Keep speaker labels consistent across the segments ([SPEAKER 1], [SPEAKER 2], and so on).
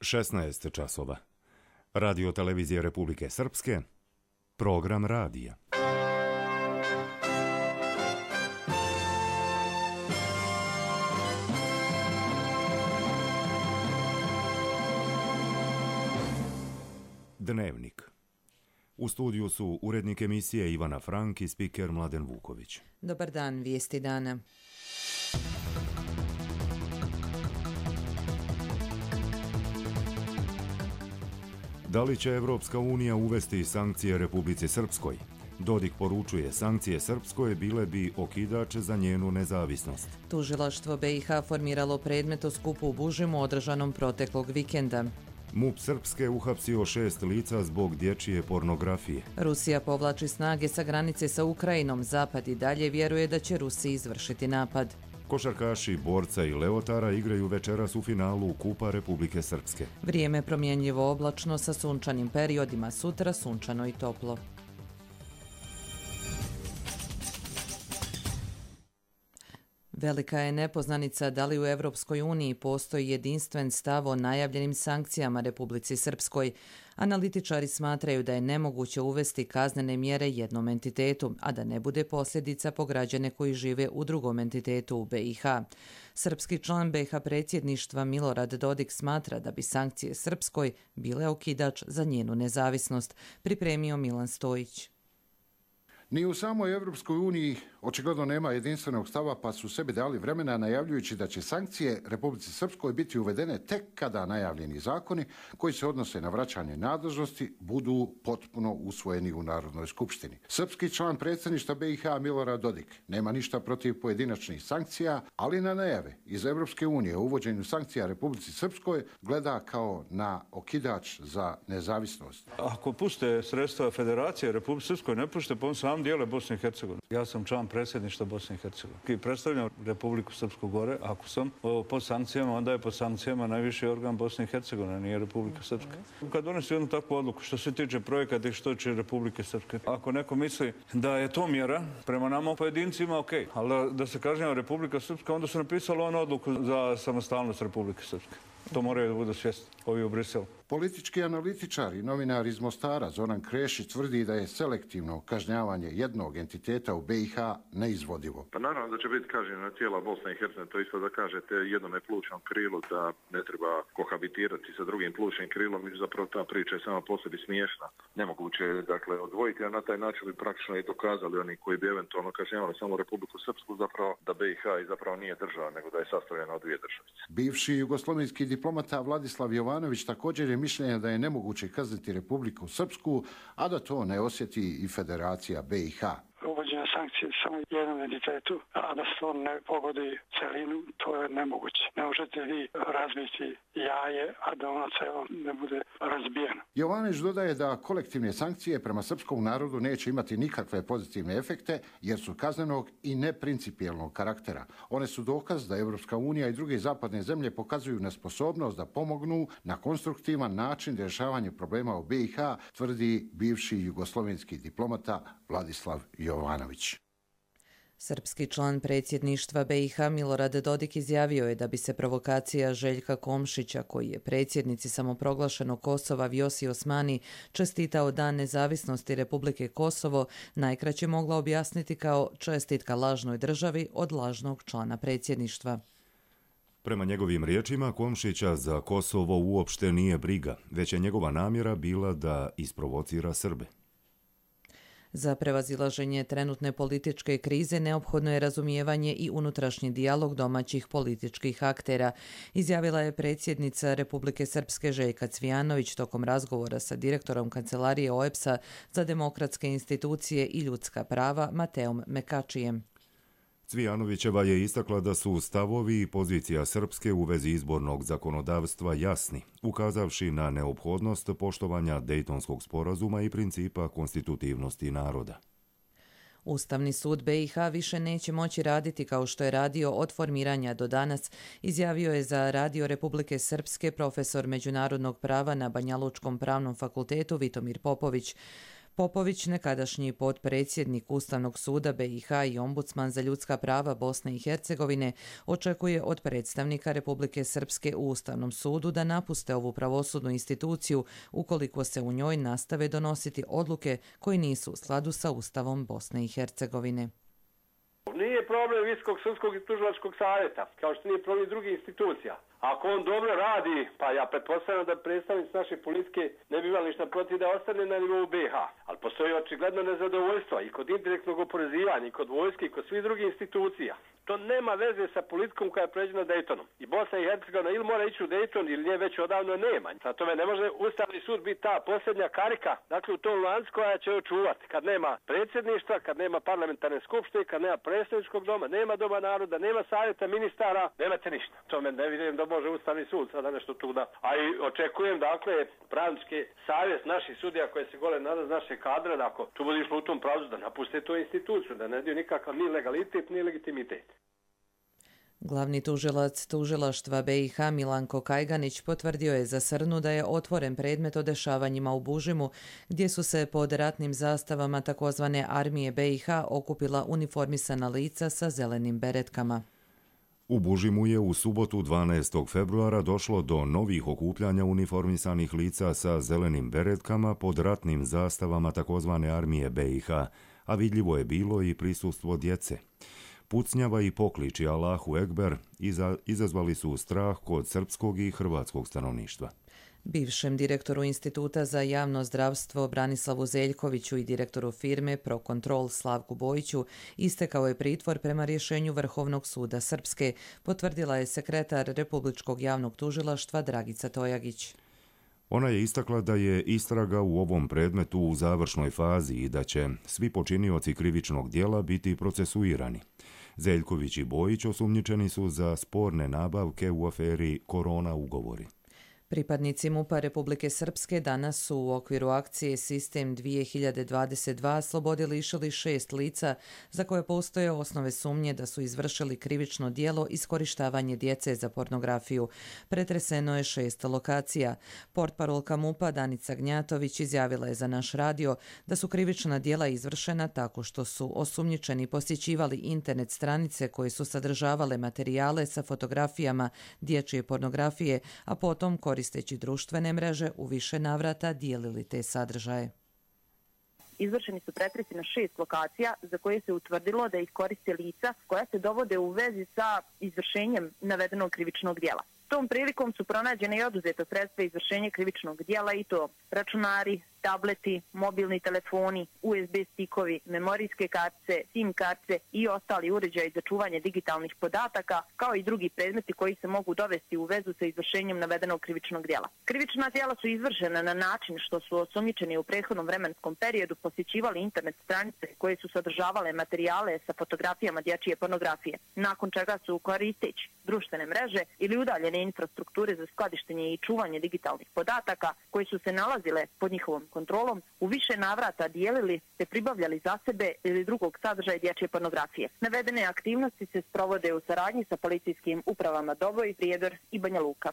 [SPEAKER 1] 16 časova. Radio televizije Republike Srpske, program radija. Dnevnik. U studiju su urednik emisije Ivana Frank i spiker Mladen Vuković.
[SPEAKER 2] Dobar dan, vijesti dana.
[SPEAKER 1] Da li će Evropska unija uvesti sankcije Republici Srpskoj? Dodik poručuje, sankcije Srpskoj bile bi okidač za njenu nezavisnost.
[SPEAKER 2] Tužilaštvo BiH formiralo predmet o skupu u Bužimu održanom proteklog vikenda.
[SPEAKER 1] MUP Srpske uhapsio 6 lica zbog dječje pornografije.
[SPEAKER 2] Rusija povlači snage sa granice sa Ukrajinom. Zapad i dalje vjeruje da će Rusiji izvršiti napad.
[SPEAKER 1] Košarkaši Borca i Leotara igraju večeras u finalu Kupa Republike Srpske.
[SPEAKER 2] Vrijeme promjenjivo oblačno sa sunčanim periodima, sutra sunčano i toplo. Velika je nepoznanica da li u Evropskoj uniji postoji jedinstven stav o najavljenim sankcijama Republici Srpskoj. Analitičari smatraju da je nemoguće uvesti kaznene mjere jednom entitetu, a da ne bude posljedica po građane koji žive u drugom entitetu u BiH. Srpski član BiH predsjedništva Milorad Dodik smatra da bi sankcije Srpskoj bile okidač za njenu nezavisnost, pripremio Milan Stojić.
[SPEAKER 3] Ni u samoj Evropskoj uniji očigledno nema jedinstvenog stava, pa su sebi dali vremena najavljujući da će sankcije Republici Srpskoj biti uvedene tek kada najavljeni zakoni koji se odnose na vraćanje nadležnosti budu potpuno usvojeni u Narodnoj skupštini. Srpski član predsjedništva BiH Milorad Dodik nema ništa protiv pojedinačnih sankcija, ali na najave iz Evropske unije o uvođenju sankcija Republici Srpskoj gleda kao na okidač za nezavisnost.
[SPEAKER 4] Ako puste sredstva Federacije Republike Srpskoj, ne pušte po sam dijele Bosne i Hercegovine. Ja sam član predsjedništva Bosne i Hercegovine i predstavljam Republiku Srpsku gore. Ako sam pod sankcijama, onda je pod sankcijama najviši organ Bosne i Hercegovine, nije Republika Srpska. Kad donesi jednu takvu odluku što se tiče projekata i što će Republike Srpske, ako neko misli da je to mjera prema nama pojedincima, ok, ali da se kažnjava Republika Srpska, onda su napisali onu odluku za samostalnost Republike Srpske. To moraju da budu svjesni ovi u Briselu.
[SPEAKER 3] Politički analitičar i novinar iz Mostara Zoran Krešić tvrdi da je selektivno kažnjavanje jednog entiteta u BiH neizvodivo.
[SPEAKER 5] Pa naravno da će biti kažnjena tijela Bosne i Hercegovine, to isto da kažete jednome plućnom krilu da ne treba kohabitirati sa drugim plućnim krilom, i zapravo ta priča je sama po sebi smiješna. Nemoguće je dakle odvojiti, a na taj način bi praktično i dokazali oni koji bi eventualno kažnjavali samo Republiku Srpsku zapravo da BiH i zapravo nije država, nego da je sastavljena od dvije državice.
[SPEAKER 3] Bivši jugoslovenski diplomata Vladislav Jovanović također je mišljenja da je nemoguće kazniti Republiku Srpsku, a da to ne osjeti i Federacija BiH.
[SPEAKER 6] Uvođenje sankcije samo jednom entitetu, a da se to ne pogodi celinu, to je nemoguće. Ne možete vi razbiti jaje, a da ono celo ne bude razbijeno.
[SPEAKER 3] Jovanović dodaje da kolektivne sankcije prema srpskom narodu neće imati nikakve pozitivne efekte, jer su kaznenog i neprincipijelnog karaktera. One su dokaz da Evropska unija i druge zapadne zemlje pokazuju nesposobnost da pomognu na konstruktivan način rješavanja problema u BiH, tvrdi bivši jugoslovenski diplomata Vladislav Jovanović.
[SPEAKER 2] Srpski član predsjedništva BiH Milorad Dodik izjavio je da bi se provokacija Željka Komšića, koji je predsjednici samoproglašenog Kosova Vjosi Osmani čestitao Dan nezavisnosti Republike Kosovo, najkraće mogla objasniti kao čestitka lažnoj državi od lažnog člana predsjedništva.
[SPEAKER 1] Prema njegovim riječima, Komšića za Kosovo uopšte nije briga, već je njegova namjera bila da isprovocira Srbe.
[SPEAKER 2] Za prevazilaženje trenutne političke krize neophodno je razumijevanje i unutrašnji dijalog domaćih političkih aktera, izjavila je predsjednica Republike Srpske Željka Cvijanović tokom razgovora sa direktorom Kancelarije OEBS-a za demokratske institucije i ljudska prava Mateom Mekačijem.
[SPEAKER 1] Cvijanovićeva je istakla da su stavovi i pozicija Srpske u vezi izbornog zakonodavstva jasni, ukazavši na neophodnost poštovanja Dejtonskog sporazuma i principa konstitutivnosti naroda.
[SPEAKER 2] Ustavni sud BiH više neće moći raditi kao što je radio od formiranja do danas, izjavio je za Radio Republike Srpske profesor međunarodnog prava na Banjalučkom pravnom fakultetu Vitomir Popović. Popović, nekadašnji potpredsjednik Ustavnog suda BiH i ombudsman za ljudska prava Bosne i Hercegovine, očekuje od predstavnika Republike Srpske u Ustavnom sudu da napuste ovu pravosudnu instituciju ukoliko se u njoj nastave donositi odluke koje nisu u skladu sa Ustavom Bosne i Hercegovine.
[SPEAKER 7] Nije problem Visokog sudskog i tužilačkog savjeta, kao što nije problem drugih institucija. Ako on dobro radi, pa ja pretpostavljam da predstavnici naše politike ne bi imali ništa protiv da ostane na nivou BiH. Ali postoji očigledno nezadovoljstvo i kod indirektnog oporezivanja, i kod vojske, i kod svih drugih institucija. To nema veze sa politikom koja je pređena Daytonom. I Bosna i Hercegovina ili mora ići u Dayton ili nje već odavno nema. Za tome ne može Ustavni sud biti ta posljednja karika, dakle u tom lancu koja će očuvati. Kad nema predsjedništva, kad nema parlamentarne skupštine, kad nema predstavničkog doma, nema doma naroda, nema savjeta ministara, nemate ništa. Tome ne vidim da može Ustavni sud sada nešto tu da. A i očekujem dakle pravnički savjet naših sudija koje se gole nada z naše kadre, da ako tu bude išlo u tom pravcu da napuste tu instituciju, da ne daju nikakav ni legalitet ni legitimitet.
[SPEAKER 2] Glavni tužilac tužilaštva BiH Milanko Kajganić potvrdio je za Srnu da je otvoren predmet o dešavanjima u Bužimu, gdje su se pod ratnim zastavama takozvane armije BiH okupila uniformisana lica sa zelenim beretkama.
[SPEAKER 1] U Bužimu je u subotu 12. februara došlo do novih okupljanja uniformisanih lica sa zelenim beretkama pod ratnim zastavama takozvane armije BiH, a vidljivo je bilo i prisustvo djece. Pucnjava i pokliči Allahu Ekber izazvali su strah kod srpskog i hrvatskog stanovništva.
[SPEAKER 2] Bivšem direktoru Instituta za javno zdravstvo Branislavu Zeljkoviću i direktoru firme Procontrol Slavku Bojiću istekao je pritvor prema rješenju Vrhovnog suda Srpske, potvrdila je sekretar Republičkog javnog tužilaštva Dragica Tojagić.
[SPEAKER 1] Ona je istakla da je istraga u ovom predmetu u završnoj fazi i da će svi počinioci krivičnog djela biti procesuirani. Zeljković i Bojić osumnjičeni su za sporne nabavke u aferi Korona ugovori.
[SPEAKER 2] Pripadnici MUP-a Republike Srpske danas su u okviru akcije Sistem 2022 slobode lišili 6 lica za koje postoje osnove sumnje da su izvršili krivično djelo iskorištavanje djece za pornografiju. Pretreseno je 6 lokacija. Portparolka MUP-a Danica Gnjatović izjavila je za naš radio da su krivična djela izvršena tako što su osumnjičeni posjećivali internet stranice koje su sadržavale materijale sa fotografijama dječje pornografije, a potom koristeći društvene mreže u više navrata dijelili te sadržaje.
[SPEAKER 8] Izvršeni su pretresi na 6 lokacija za koje se utvrdilo da ih koriste lica koja se dovode u vezi sa izvršenjem navedenog krivičnog djela. Tom prilikom su pronađene i oduzeta sredstva izvršenja krivičnog djela i to računari, tableti, mobilni telefoni, USB stikovi, memorijske kartice, SIM kartice i ostali uređaji za čuvanje digitalnih podataka, kao i drugi predmeti koji se mogu dovesti u vezu sa izvršenjem navedenog krivičnog djela. Krivična djela su izvršena na način što su osumnjičeni u prethodnom vremenskom periodu posjećivali internet stranice koje su sadržavale materijale sa fotografijama dječje pornografije, nakon čega su koristeći društvene mreže ili udaljene infrastrukture za skladištenje i čuvanje digitalnih podataka koje su se nalazile pod njihovom kontrolom u više navrata dijelili te pribavljali za sebe ili drugog sadržaja dječje pornografije. Navedene aktivnosti se sprovode u saradnji sa policijskim upravama Doboj, Prijedor i Banja Luka.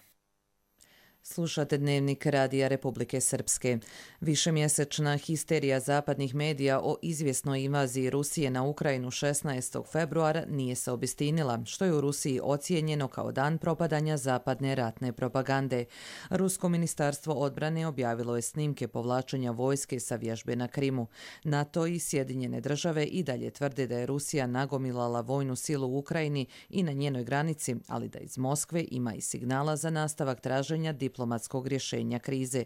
[SPEAKER 2] Slušate Dnevnik Radija Republike Srpske. Višemjesečna histerija zapadnih medija o izvjesnoj invaziji Rusije na Ukrajinu 16. februara nije se obistinila, što je u Rusiji ocijenjeno kao dan propadanja zapadne ratne propagande. Rusko ministarstvo odbrane objavilo je snimke povlačenja vojske sa vježbe na Krimu. NATO i Sjedinjene države i dalje tvrde da je Rusija nagomilala vojnu silu u Ukrajini i na njenoj granici, ali da iz Moskve ima i signala za nastavak traženja diplomatskog rješenja krize.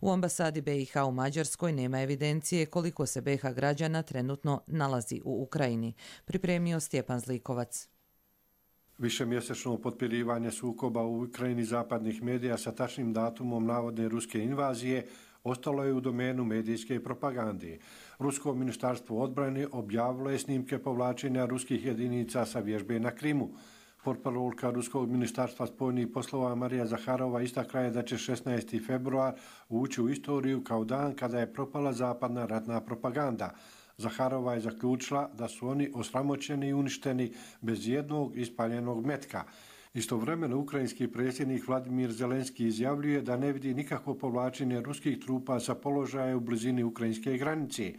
[SPEAKER 2] U ambasadi BiH u Mađarskoj nema evidencije koliko se BiH građana trenutno nalazi u Ukrajini. Pripremio Stjepan Zlikovac.
[SPEAKER 9] Višemjesečno potpirivanje sukoba u Ukrajini zapadnih medija sa tačnim datumom navodne ruske invazije ostalo je u domenu medijske propagande. Rusko ministarstvo odbrane objavilo je snimke povlačenja ruskih jedinica sa vježbe na Krimu. Portparolka Ruskog ministarstva spoljnih poslova Marija Zaharova istakla je da će 16. februar ući u istoriju kao dan kada je propala zapadna ratna propaganda. Zaharova je zaključila da su oni osramoćeni i uništeni bez jednog ispaljenog metka. Istovremeno, ukrajinski predsjednik Vladimir Zelenski izjavljuje da ne vidi nikakvo povlačenje ruskih trupa sa položaja u blizini ukrajinske granice.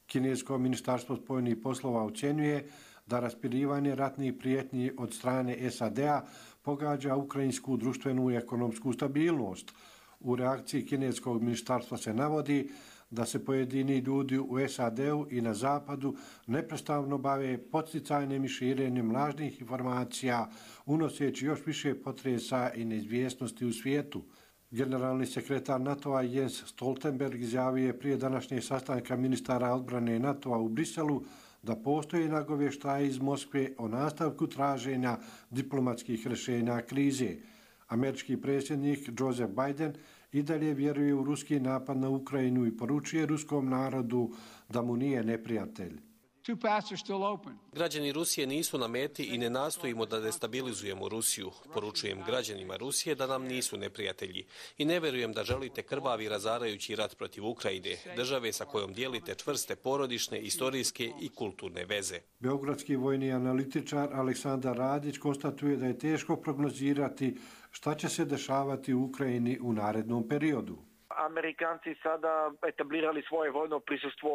[SPEAKER 9] Kinesko ministarstvo spojenih poslova ocjenjuje da raspirivanje ratnih prijetnji od strane SAD-a pogađa ukrajinsku društvenu i ekonomsku stabilnost. U reakciji kineskog ministarstva se navodi da se pojedini ljudi u SAD-u i na zapadu neprestano bave podsticajnim i širenjem lažnih informacija, unoseći još više potresa i neizvjesnosti u svijetu. Generalni sekretar NATO-a Jens Stoltenberg izjavio je prije današnjeg sastanka ministara odbrane NATO-a u Briselu da postoje nagovještaji iz Moskve o nastavku traženja diplomatskih rješenja krize. Američki predsjednik Joseph Biden i dalje vjeruje u ruski napad na Ukrajinu i poručuje ruskom narodu da mu nije neprijatelj.
[SPEAKER 10] Građani Rusije nisu na meti i ne nastojimo da destabilizujemo Rusiju. Poručujem građanima Rusije da nam nisu neprijatelji. I ne vjerujem da želite krvavi i razarajući rat protiv Ukrajine, države sa kojom dijelite čvrste porodične, istorijske i kulturne veze.
[SPEAKER 9] Beogradski vojni analitičar Aleksandar Radić konstatuje da je teško prognozirati šta će se dešavati u Ukrajini u narednom periodu.
[SPEAKER 11] Amerikanci sada etablirali svoje vojno prisustvo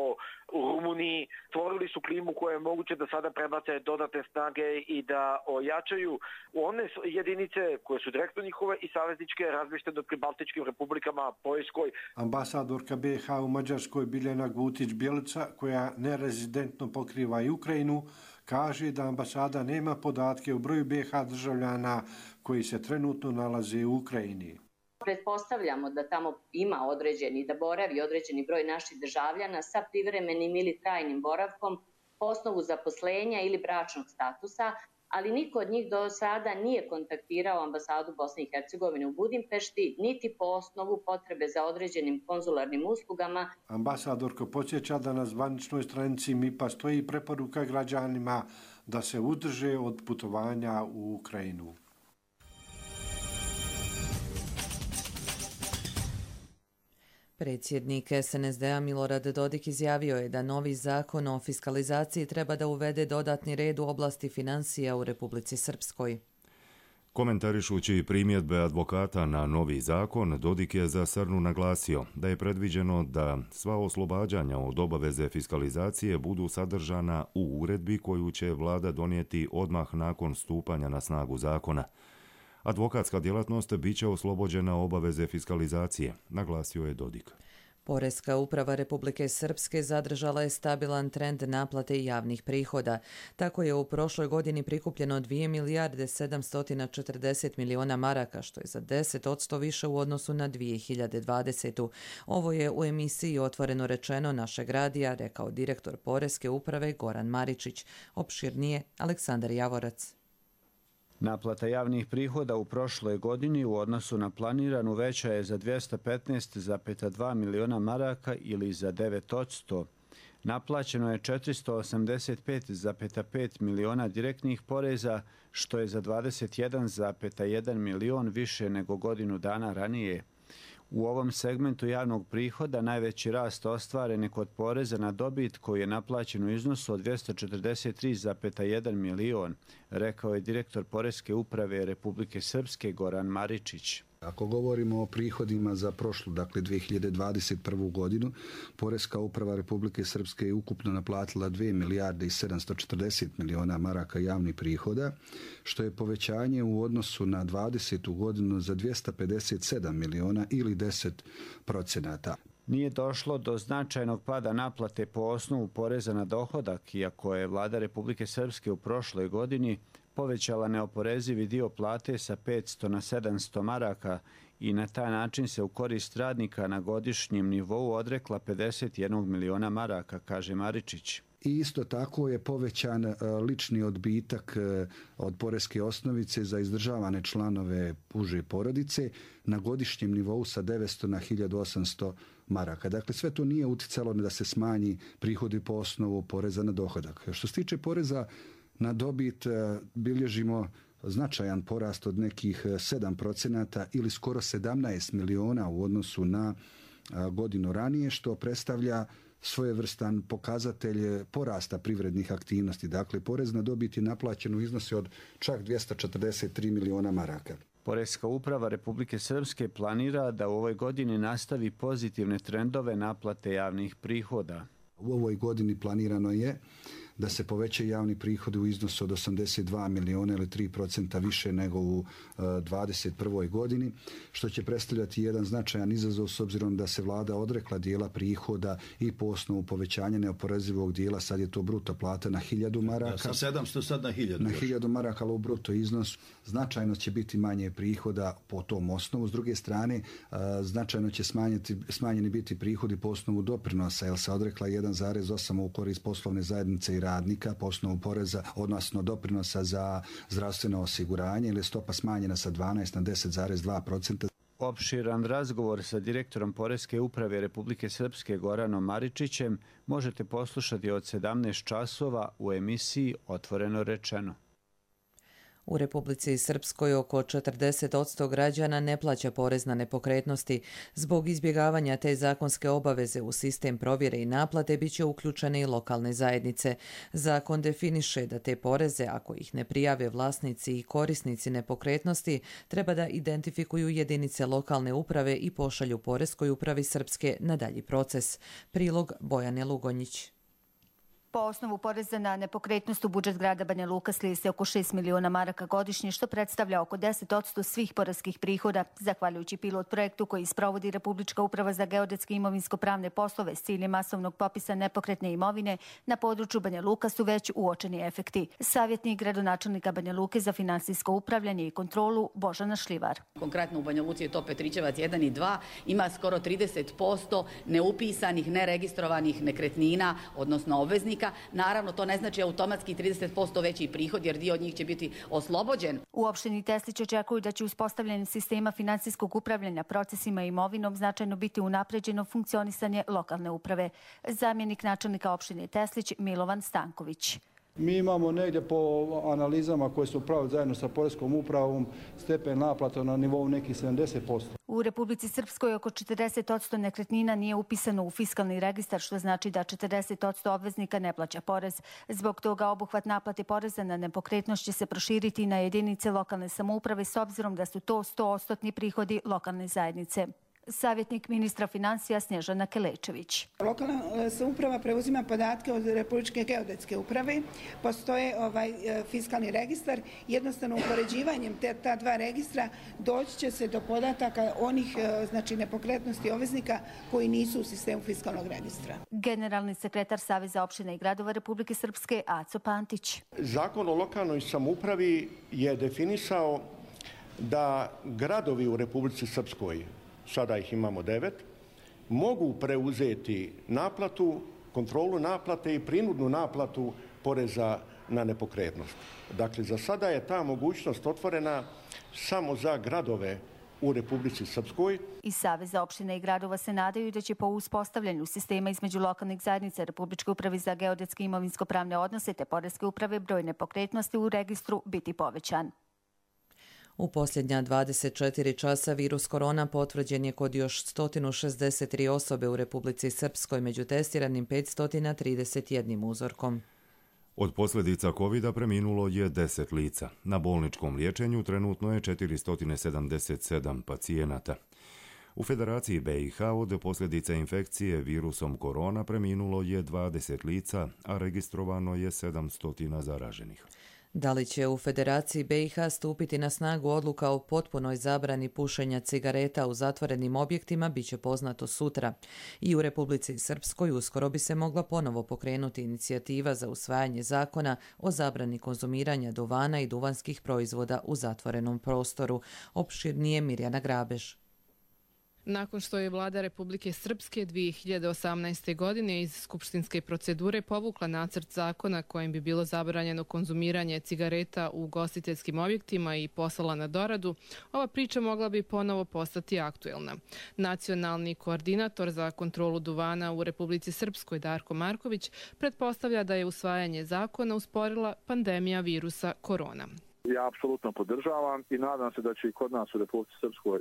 [SPEAKER 11] u Rumuniji, stvorili su klimu koja je moguće da sada prebace dodatne snage i da ojačaju one jedinice koje su direktno njihove i savezničke razmještene pri Baltičkim republikama, Poljskoj.
[SPEAKER 9] Ambasadorka BiH u Mađarskoj Biljana Gutić-Bjelica, koja nerezidentno pokriva i Ukrajinu, kaže da ambasada nema podatke o broju BiH državljana koji se trenutno nalaze u Ukrajini.
[SPEAKER 12] Pretpostavljamo da tamo ima određeni, da boravi određeni broj naših državljana sa privremenim ili trajnim boravkom po osnovu zaposlenja ili bračnog statusa, ali niko od njih do sada nije kontaktirao ambasadu Bosne i Hercegovine u Budimpešti, niti po osnovu potrebe za određenim konzularnim uslugama.
[SPEAKER 9] Ambasadorka podsjeća da na zvaničnoj stranici MIP-a stoji preporuka građanima da se uzdrže od putovanja u Ukrajinu.
[SPEAKER 2] Predsjednik SNSD-a Milorad Dodik izjavio je da novi zakon o fiskalizaciji treba da uvede dodatni red u oblasti financija u Republici Srpskoj.
[SPEAKER 1] Komentarišući primjedbe advokata na novi zakon, Dodik je za Srnu naglasio da je predviđeno da sva oslobađanja od obaveze fiskalizacije budu sadržana u uredbi koju će vlada donijeti odmah nakon stupanja na snagu zakona. Advokatska djelatnost bit će oslobođena obaveze fiskalizacije, naglasio je Dodik.
[SPEAKER 2] Poreska uprava Republike Srpske zadržala je stabilan trend naplate javnih prihoda. Tako je u prošloj godini prikupljeno 2 milijarde 740 miliona maraka, što je za 10% više u odnosu na 2020. Ovo je u emisiji Otvoreno rečeno našeg radija rekao direktor Poreske uprave Goran Maričić. Opširnije Aleksandar Javorac.
[SPEAKER 13] Naplata javnih prihoda u prošloj godini u odnosu na planiranu veća je za 215,2 miliona maraka ili za 9%. Naplaćeno je 485,5 miliona direktnih poreza, što je za 21,1 milion više nego godinu dana ranije. U ovom segmentu javnog prihoda najveći rast ostvaren je kod poreza na dobit koji je naplaćen u iznosu od 243,1 milion, rekao je direktor Poreske uprave Republike Srpske Goran Maričić.
[SPEAKER 14] Ako govorimo o prihodima za prošlu, dakle 2021. godinu, Poreska uprava Republike Srpske je ukupno naplatila 2 milijarde i 740 miliona maraka javnih prihoda, što je povećanje u odnosu na 20. godinu za 257 miliona ili 10%.
[SPEAKER 13] Nije došlo do značajnog pada naplate po osnovu poreza na dohodak, iako je vlada Republike Srpske u prošloj godini povećala neoporezivi dio plate sa 500 na 700 maraka i na taj način se u korist radnika na godišnjem nivou odrekla 51 miliona maraka, kaže Maričić.
[SPEAKER 14] I isto tako je povećan lični odbitak od poreske osnovice za izdržavane članove uže porodice na godišnjem nivou sa 900 na 1800 maraka. Dakle, sve to nije uticalo da se smanji prihodi po osnovu poreza na dohodak. Što se tiče poreza na dobit, bilježimo značajan porast od nekih 7% ili skoro 17 miliona u odnosu na godinu ranije, što predstavlja svojevrstan pokazatelj porasta privrednih aktivnosti. Dakle, porez na dobit je naplaćen u iznosi od čak 243 miliona maraka.
[SPEAKER 13] Poreska uprava Republike Srpske planira da u ovoj godini nastavi pozitivne trendove naplate javnih prihoda.
[SPEAKER 14] U ovoj godini planirano je da se poveća javni prihodi u iznosu od 82 miliona ili 3% više nego u 2021. godini, što će predstavljati jedan značajan izazov s obzirom da se vlada odrekla dijela prihoda i po osnovu povećanja neoporezivog dijela, sad je to bruto plata na 1000 maraka.
[SPEAKER 15] Sa 700 sad na 1000.
[SPEAKER 14] Na 1000 maraka, ali u bruto iznos značajno će biti manje prihoda po tom osnovu. S druge strane, značajno će smanjeni biti prihodi po osnovu doprinosa, jer se odrekla 1,8 u korist poslovne zajednice i radnika po osnovu poreza, odnosno doprinosa za zdravstveno osiguranje, ili je stopa smanjena sa 12 na 10,2%.
[SPEAKER 13] Opširan razgovor sa direktorom Poreske uprave Republike Srpske Goranom Maričićem možete poslušati od 17 časova u emisiji Otvoreno rečeno.
[SPEAKER 2] U Republici Srpskoj oko 40% građana ne plaća porez na nepokretnosti. Zbog izbjegavanja te zakonske obaveze u sistem provjere i naplate bit će uključene i lokalne zajednice. Zakon definiše da te poreze, ako ih ne prijave vlasnici i korisnici nepokretnosti, treba da identifikuju jedinice lokalne uprave i pošalju Poreskoj upravi Srpske na dalji proces. Prilog Bojane Lugonjić.
[SPEAKER 16] Po osnovu poreza na nepokretnost u budžet grada Banja Luka slije se oko 6 miliona maraka godišnje, što predstavlja oko 10% svih poreskih prihoda. Zahvaljujući pilot projektu koji sprovodi Republička uprava za geodetske i imovinsko-pravne poslove s ciljem masovnog popisa nepokretne imovine, na području Banja Luka su već uočeni efekti. Savjetnik gradonačelnika Banja Luke za finansijsko upravljanje i kontrolu Božana Šljivar.
[SPEAKER 17] Konkretno u Banja Luci je to Petrićevac 1 i 2, ima skoro 30% neupisanih, neregistrovanih nekretnina, odnosno obveznika. Naravno, to ne znači automatski 30% veći prihod, jer dio od njih će biti oslobođen.
[SPEAKER 16] U opštini Teslić očekuju da će uspostavljanjem sistema finansijskog upravljanja procesima i imovinom značajno biti unapređeno funkcionisanje lokalne uprave. Zamjenik načelnika opštine Teslić Milovan Stanković.
[SPEAKER 18] Mi imamo negdje po analizama koje su upravili zajedno sa Poreskom upravom stepen naplata na nivou nekih 70%.
[SPEAKER 16] U Republici Srpskoj oko 40% nekretnina nije upisano u fiskalni registar, što znači da 40% obveznika ne plaća porez. Zbog toga obuhvat naplate poreza na nepokretnost će se proširiti na jedinice lokalne samouprave s obzirom da su to 100% prihodi lokalne zajednice. Savjetnik ministra financija Snježana Kelečević.
[SPEAKER 19] Lokalna samouprava preuzima podatke od Republičke geodetske uprave. Postoje fiskalni registar. Jednostavno upoređivanjem ta dva registra doći će se do podataka onih nepokretnosti obveznika koji nisu u sistemu fiskalnog registra.
[SPEAKER 16] Generalni sekretar Saveza opština i gradova Republike Srpske Aco Pantić.
[SPEAKER 20] Zakon o lokalnoj samoupravi je definisao da gradovi u Republici Srpskoj, sada ih imamo 9, mogu preuzeti naplatu, kontrolu naplate i prinudnu naplatu poreza na nepokretnost. Dakle, za sada je ta mogućnost otvorena samo za gradove u Republici Srpskoj.
[SPEAKER 16] Iz Saveza opština i gradova se nadaju da će po uspostavljanju sistema između lokalnih zajednica Republičke uprave za geodetske i imovinsko-pravne odnose te Poreske uprave broj nepokretnosti u registru biti povećan.
[SPEAKER 2] U posljednja 24 časa virus korona potvrđen je kod još 163 osobe u Republici Srpskoj, među testiranim 531 uzorkom.
[SPEAKER 1] Od posljedica COVID-a preminulo je 10 lica. Na bolničkom liječenju trenutno je 477 pacijenata. U Federaciji BiH od posljedica infekcije virusom korona preminulo je 20 lica, a registrovano je 700 zaraženih.
[SPEAKER 2] Da li će u Federaciji BiH stupiti na snagu odluka o potpunoj zabrani pušenja cigareta u zatvorenim objektima, bit će poznato sutra. I u Republici Srpskoj uskoro bi se mogla ponovo pokrenuti inicijativa za usvajanje zakona o zabrani konzumiranja duvana i duvanskih proizvoda u zatvorenom prostoru. Opširnije Mirjana Grabež.
[SPEAKER 21] Nakon što je vlada Republike Srpske 2018. godine iz skupštinske procedure povukla nacrt zakona kojim bi bilo zabranjeno konzumiranje cigareta u ugostiteljskim objektima i poslala na doradu, ova priča mogla bi ponovo postati aktuelna. Nacionalni koordinator za kontrolu duvana u Republici Srpskoj Darko Marković pretpostavlja da je usvajanje zakona usporila pandemija virusa korona.
[SPEAKER 22] Ja apsolutno podržavam i nadam se da će i kod nas u Republici Srpskoj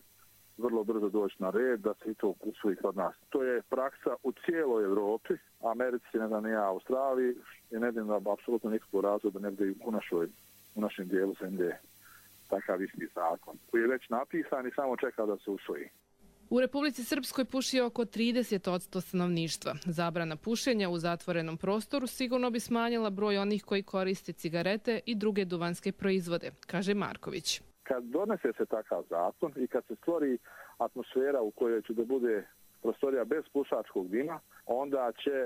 [SPEAKER 5] vrlo brzo doći na red da se i to usvoji kod nas. To je praksa u cijeloj Europi, Americi, ne znam, ja, Australiji, i ne vidim da apsolutno nikakvog razloga da ne bude u našem dijelu zemlje takav isti zakon koji je već napisan i samo čeka da se usvoji.
[SPEAKER 21] U Republici Srpskoj puši oko 30% stanovništva. Zabrana pušenja u zatvorenom prostoru sigurno bi smanjila broj onih koji koriste cigarete i druge duvanske proizvode, kaže Marković.
[SPEAKER 5] Kad donese se takav zakon i kad se stvori atmosfera u kojoj će da bude prostorija bez pušačkog dima, onda će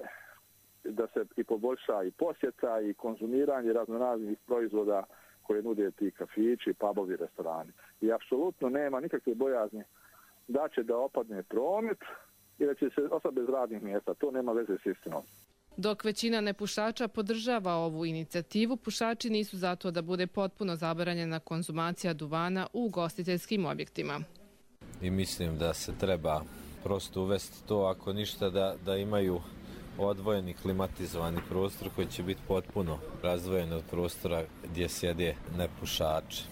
[SPEAKER 5] da se i poboljša i posjeta i konzumiranje raznoraznih proizvoda koje nude ti kafići, pubovi, restorani. I apsolutno nema nikakve bojazni da će da opadne promet i da će se ostati bez radnih mjesta. To nema veze s istinom.
[SPEAKER 21] Dok većina nepušača podržava ovu inicijativu, pušači nisu zato da bude potpuno zabranjena konzumacija duvana u ugostiteljskim objektima.
[SPEAKER 15] I mislim da se treba prosto uvesti to, ako ništa, da imaju odvojeni klimatizovani prostor koji će biti potpuno razdvojen od prostora gdje sjede nepušači.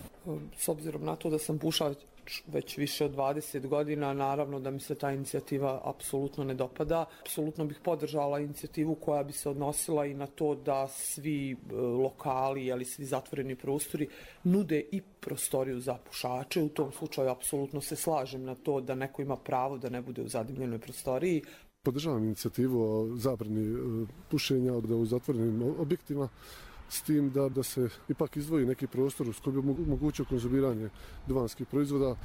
[SPEAKER 22] S obzirom na to da sam pušač već više od 20 godina, naravno da mi se ta inicijativa apsolutno ne dopada. Apsolutno bih podržala inicijativu koja bi se odnosila i na to da svi lokali, ali svi zatvoreni prostori nude i prostoriju za pušače. U tom slučaju apsolutno se slažem na to da neko ima pravo da ne bude u zadimljenoj prostoriji.
[SPEAKER 23] Podržavam inicijativu o zabrani pušenja u zatvorenim objektima, s tim da se ipak izdvoji neki prostor s kojim bi mogućio konzumiranje duvanskih proizvoda.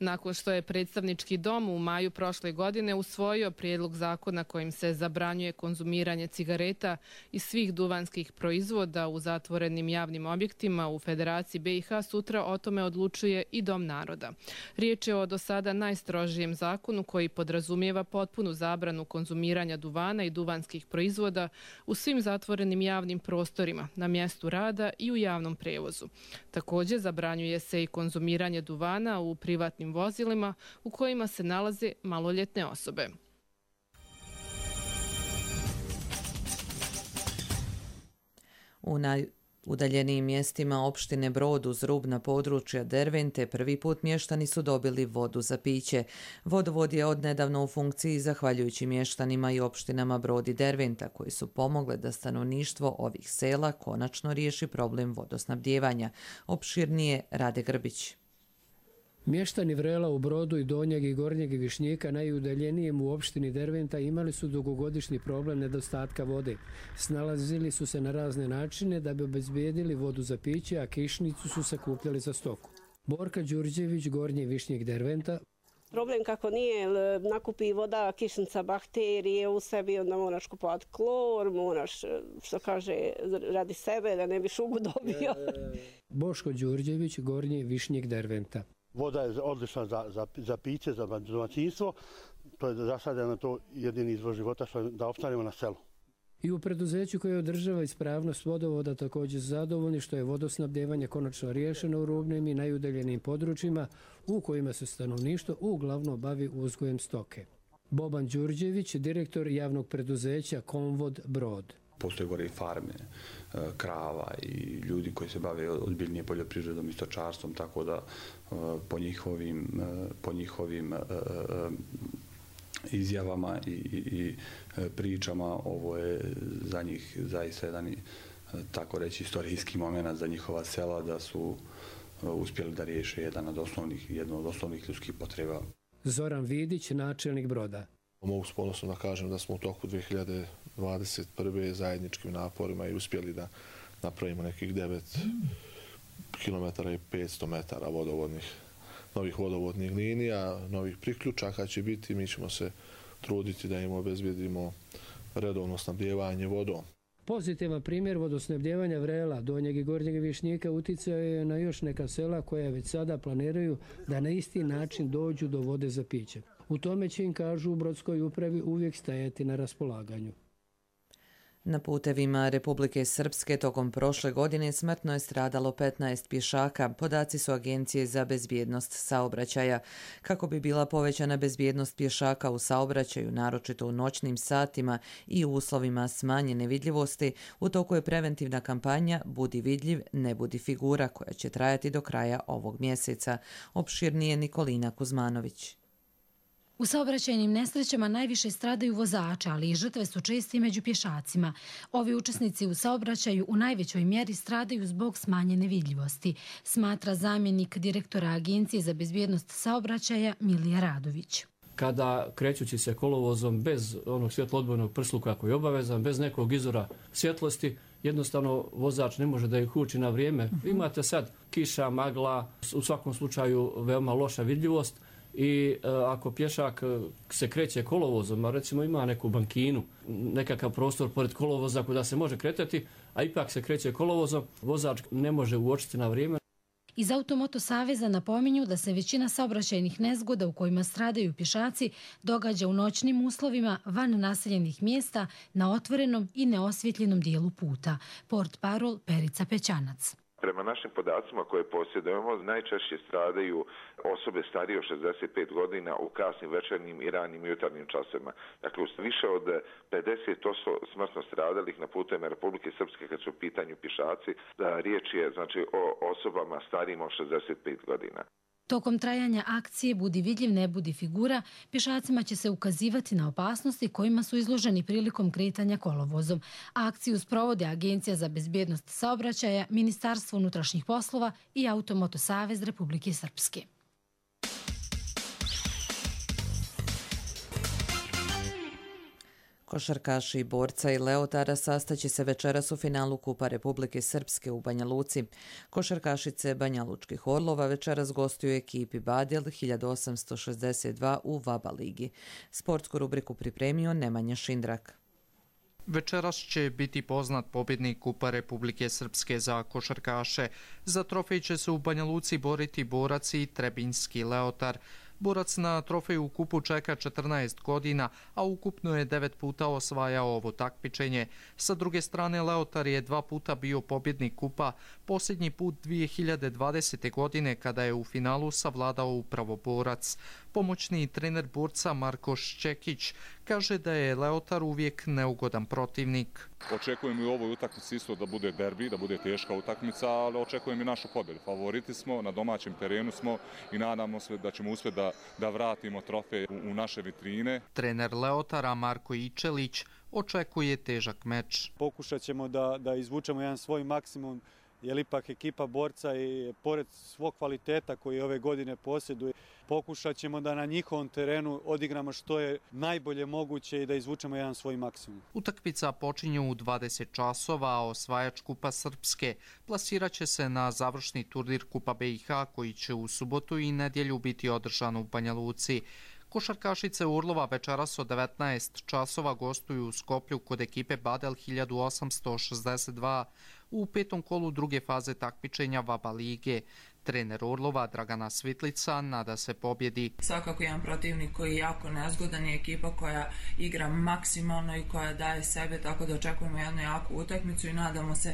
[SPEAKER 21] Nakon što je predstavnički dom u maju prošle godine usvojio prijedlog zakona kojim se zabranjuje konzumiranje cigareta i svih duvanskih proizvoda u zatvorenim javnim objektima u Federaciji BiH, sutra o tome odlučuje i Dom naroda. Riječ je o do sada najstrožijem zakonu koji podrazumijeva potpunu zabranu konzumiranja duvana i duvanskih proizvoda u svim zatvorenim javnim prostorima, na mjestu rada i u javnom prevozu. Također zabranjuje se i konzumiranje duvana u privatnim vozilima u kojima se nalaze maloljetne osobe.
[SPEAKER 2] U najudaljenijim mjestima opštine Brod uz rubna područja Dervente prvi put mještani su dobili vodu za piće. Vodovod je odnedavno u funkciji zahvaljujući mještanima i opštinama Brod i Derventa koji su pomogle da stanovništvo ovih sela konačno riješi problem vodosnabdijevanja. Opširnije Rade Grbić.
[SPEAKER 24] Mještani Vrela u Brodu i Donjeg i Gornjeg Višnjika, najudaljenijem u opštini Derventa, imali su dugogodišnji problem nedostatka vode. Snalazili su se na razne načine da bi obezbijedili vodu za piće, a kišnicu su sakupljali za stoku. Borka Đurđević, Gornji Višnjik Derventa.
[SPEAKER 25] Problem kako nije, nakupi voda, kišnica, bakterije u sebi, onda moraš kupovati klor, moraš, što kaže, radi sebe da ne bi šugu dobio.
[SPEAKER 24] Boško Đurđević, Gornji Višnjik Derventa.
[SPEAKER 26] Voda je odlična za piće, za domaćinstvo. To je za sada to jedini izvor života da opstanemo na selu.
[SPEAKER 24] I u preduzeću koje održava ispravnost vodovoda također zadovoljni što je vodosnabdjevanje konačno riješeno u rubnim i najudaljenim područjima u kojima se stanovništvo uglavnom bavi uzgojem stoke. Boban Đurđević, direktor javnog preduzeća Komvod Brod.
[SPEAKER 27] Postoje gore i farme, krava i ljudi koji se bave ozbiljnije poljoprivredom i stočarstvom, tako da po njihovim izjavama i pričama ovo je za njih zaista jedan, tako reći, istorijski moment za njihova sela, da su uspjeli da riješe jednu od osnovnih ljudskih potreba.
[SPEAKER 24] Zoran Vidić, načelnik Broda.
[SPEAKER 28] Mogu s ponosom da kažem da smo u toku 2021. zajedničkim naporima i uspjeli da napravimo nekih 9 km i 500 metara novih vodovodnih linija, novih priključaka će biti. Mi ćemo se truditi da im obezbijedimo redovno snabdijevanje vodom.
[SPEAKER 24] Pozitivan primjer vodosnabdijevanja Vrela, Donjeg i Gornjeg Višnjika utjecao je na još neka sela koja već sada planiraju da na isti način dođu do vode za piće. U tome će im, kažu u Brodskoj upravi, uvijek stajati na raspolaganju.
[SPEAKER 2] Na putevima Republike Srpske tokom prošle godine smrtno je stradalo 15 pješaka. Podaci su Agencije za bezbjednost saobraćaja. Kako bi bila povećana bezbjednost pješaka u saobraćaju, naročito u noćnim satima i u uslovima smanjene vidljivosti, u toku je preventivna kampanja Budi vidljiv, ne budi figura, koja će trajati do kraja ovog mjeseca. Opširnije Nikolina Kuzmanović.
[SPEAKER 3] U saobraćajnim nesrećama najviše stradaju vozači, ali i žrtve su česti među pješacima. Ovi učesnici u saobraćaju u najvećoj mjeri stradaju zbog smanjene vidljivosti, smatra zamjenik direktora Agencije za bezbjednost saobraćaja Milija Radović.
[SPEAKER 4] Kada krećući se kolovozom bez onog svjetloodbojnog prsluka koji je obavezan, bez nekog izvora svjetlosti, jednostavno vozač ne može da ih uči na vrijeme. Imate sad kiša, magla, u svakom slučaju veoma loša vidljivost i ako pješak se kreće kolovozom, a recimo ima neku bankinu, nekakav prostor pored kolovoza kuda se može kretati, a ipak se kreće kolovozom, vozač ne može uočiti na vrijeme.
[SPEAKER 3] Iz Automoto saveza napominju da se većina saobraćajnih nezgoda u kojima stradaju pješaci događa u noćnim uslovima van naseljenih mjesta na otvorenom i neosvjetljenom dijelu puta. Portparol Perica Pećanac.
[SPEAKER 6] Prema našim podacima koje posjedujemo, najčešće stradaju osobe starije od 65 godina u kasnim večernjim i ranim jutarnjim časovima. Dakle, više od 50% smrtno stradalih na putovima Republike Srpske kad su u pitanju pješaci, da riječ je znači o osobama starijim od 65 godina.
[SPEAKER 3] Tokom trajanja akcije Budi vidljiv, ne budi figura, pješacima će se ukazivati na opasnosti kojima su izloženi prilikom kretanja kolovozom. Akciju sprovode Agencija za bezbjednost saobraćaja, Ministarstvo unutrašnjih poslova i Automoto savez Republike Srpske.
[SPEAKER 2] Košarkaši i borca i Leotara sastaće se večeras u finalu Kupa Republike Srpske u Banja Luci. Košarkašice Banja Lučkih Orlova večeras gostuju ekipi Badel 1862 u VABA ligi. Sportsku rubriku pripremio Nemanja Šindrak.
[SPEAKER 7] Večeras će biti poznat pobjednik Kupa Republike Srpske za košarkaše. Za trofej će se u Banja Luci boriti borac i trebinjski Leotar. Borac na trofeju u kupu čeka 14 godina, a ukupno je 9 puta osvajao ovo takmičenje. Sa druge strane, Leotar je 2 puta bio pobjednik kupa, posljednji put 2020. godine kada je u finalu savladao upravo borac. Pomoćni trener borca Marko Šćekić kaže da je Leotar uvijek neugodan protivnik.
[SPEAKER 8] Očekujem i u ovoj utakmici isto da bude derbi, da bude teška utakmica, ali očekujem i našu pobjedu. Favoriti smo, na domaćem terenu smo i nadamo se da ćemo uspjeti da vratimo trofej u naše vitrine.
[SPEAKER 7] Trener Leotara Marko Ičelić očekuje težak meč.
[SPEAKER 10] Pokušat ćemo da izvučemo jedan svoj maksimum, jer ipak ekipa borca i pored svog kvaliteta koji ove godine posjeduje, pokušat ćemo da na njihovom terenu odigramo što je najbolje moguće i da izvučemo jedan svoj maksimum.
[SPEAKER 7] Utakmica počinje u 20 časova, a osvajač Kupa Srpske plasirat će se na završni turnir Kupa BiH koji će u subotu i nedjelju biti održan u Banja Luci. Košarkašice Orlova večeras od 19 časova gostuju u Skoplju kod ekipe Badel 1862 u 5. kolu druge faze takmičenja VABA lige. Trener Orlova Dragana Svitlica nada se pobjedi.
[SPEAKER 11] Svakako jedan protivnik koji je jako nezgodan je ekipa koja igra maksimalno i koja daje sebe, tako da očekujemo jednu jaku utakmicu i nadamo se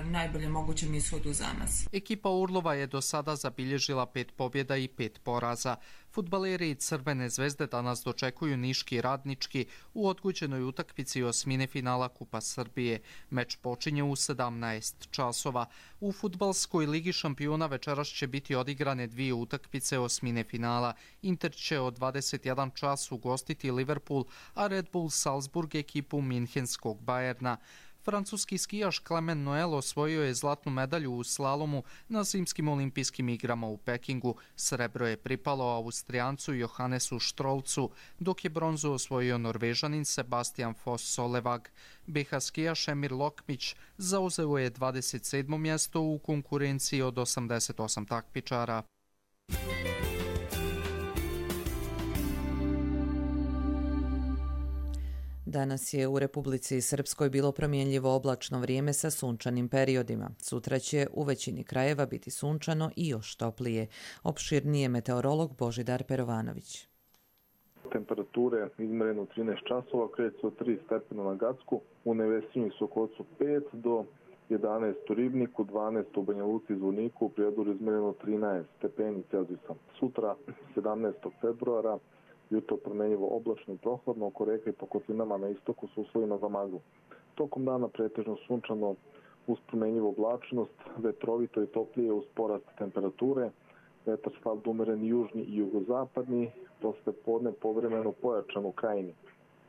[SPEAKER 11] najbolje mogućem ishodu za nas.
[SPEAKER 7] Ekipa Orlova je do sada zabilježila 5 pobjeda i 5 poraza. Fudbaleri Crvene zvezde danas dočekuju Niški Radnički u odgođenoj utakmici osmine finala Kupa Srbije. Meč počinje u 17 časova. U fudbalskoj ligi šampiona večeras će biti odigrane 2 utakmice osmine finala. Inter će od 21 čas ugostiti Liverpool, a Red Bull Salzburg ekipu Minhenskog Bajerna. Francuski skijaš Clement Noel osvojio je zlatnu medalju u slalomu na zimskim olimpijskim igrama u Pekingu. Srebro je pripalo Austrijancu Johannesu Štrolcu, dok je bronzu osvojio Norvežanin Sebastian Foss-Solevag. BiH skijaš Emir Lokmić zauzeo je 27. mjesto u konkurenciji od 88 takmičara.
[SPEAKER 2] Danas je u Republici Srpskoj bilo promjenljivo oblačno vrijeme sa sunčanim periodima. Sutra će u većini krajeva biti sunčano i još toplije. Opširnije meteorolog Božidar Perovanović.
[SPEAKER 5] Temperature izmjerene u 13 časova kreću se od 3 stepena na Gacku, u Nevesinju i Sokocu 5 do 11 u Ribniku, 12 u Banja Luci i Zvorniku, u Prijedoru izmjereno 13 stepeni Celzijusa. Sutra, 17. februara, jutro promjenjivo oblačno i prohladno, oko reke i po kotlinama na istoku s uslovima za maglu. Tokom dana pretežno sunčano uz promjenjivu oblačnost, vetrovito i toplije uz porast temperature.
[SPEAKER 9] vetar slab umeren južni i jugozapadni, posle podne povremeno pojačan u krajini.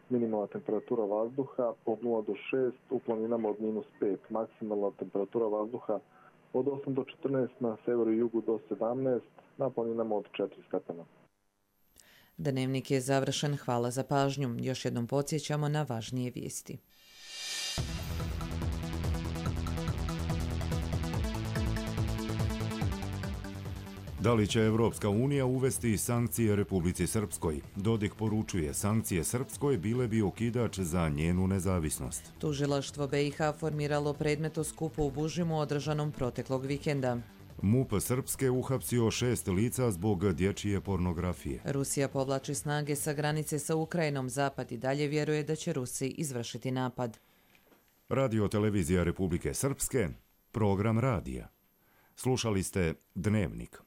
[SPEAKER 9] Minimalna temperatura vazduha od 0 do 6, u planinama od -5. Maksimalna temperatura vazduha od 8 do 14, na severu i jugu do 17, na planinama od 4 stepena.
[SPEAKER 2] Dnevnik je završen, hvala za pažnju. Još jednom podsjećamo na važnije vijesti.
[SPEAKER 1] Da li će Evropska unija uvesti sankcije Republici Srpskoj? Dodik poručuje, sankcije Srpskoj bile bi okidač za njenu nezavisnost.
[SPEAKER 2] Tužilaštvo BiH formiralo predmet o skupu u Bužimu održanom proteklog vikenda.
[SPEAKER 1] MUP Srpske uhapsio 6 lica zbog dječje pornografije.
[SPEAKER 2] Rusija povlači snage sa granice sa Ukrajinom. Zapad i dalje vjeruje da će Rusi izvršiti napad.
[SPEAKER 1] Radio televizija Republike Srpske, program radija. Slušali ste Dnevnik.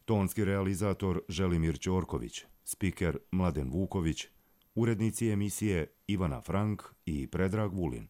[SPEAKER 1] Tonski realizator Želimir Ćorković, spiker Mladen Vuković, urednici emisije Ivana Frank i Predrag Vulin.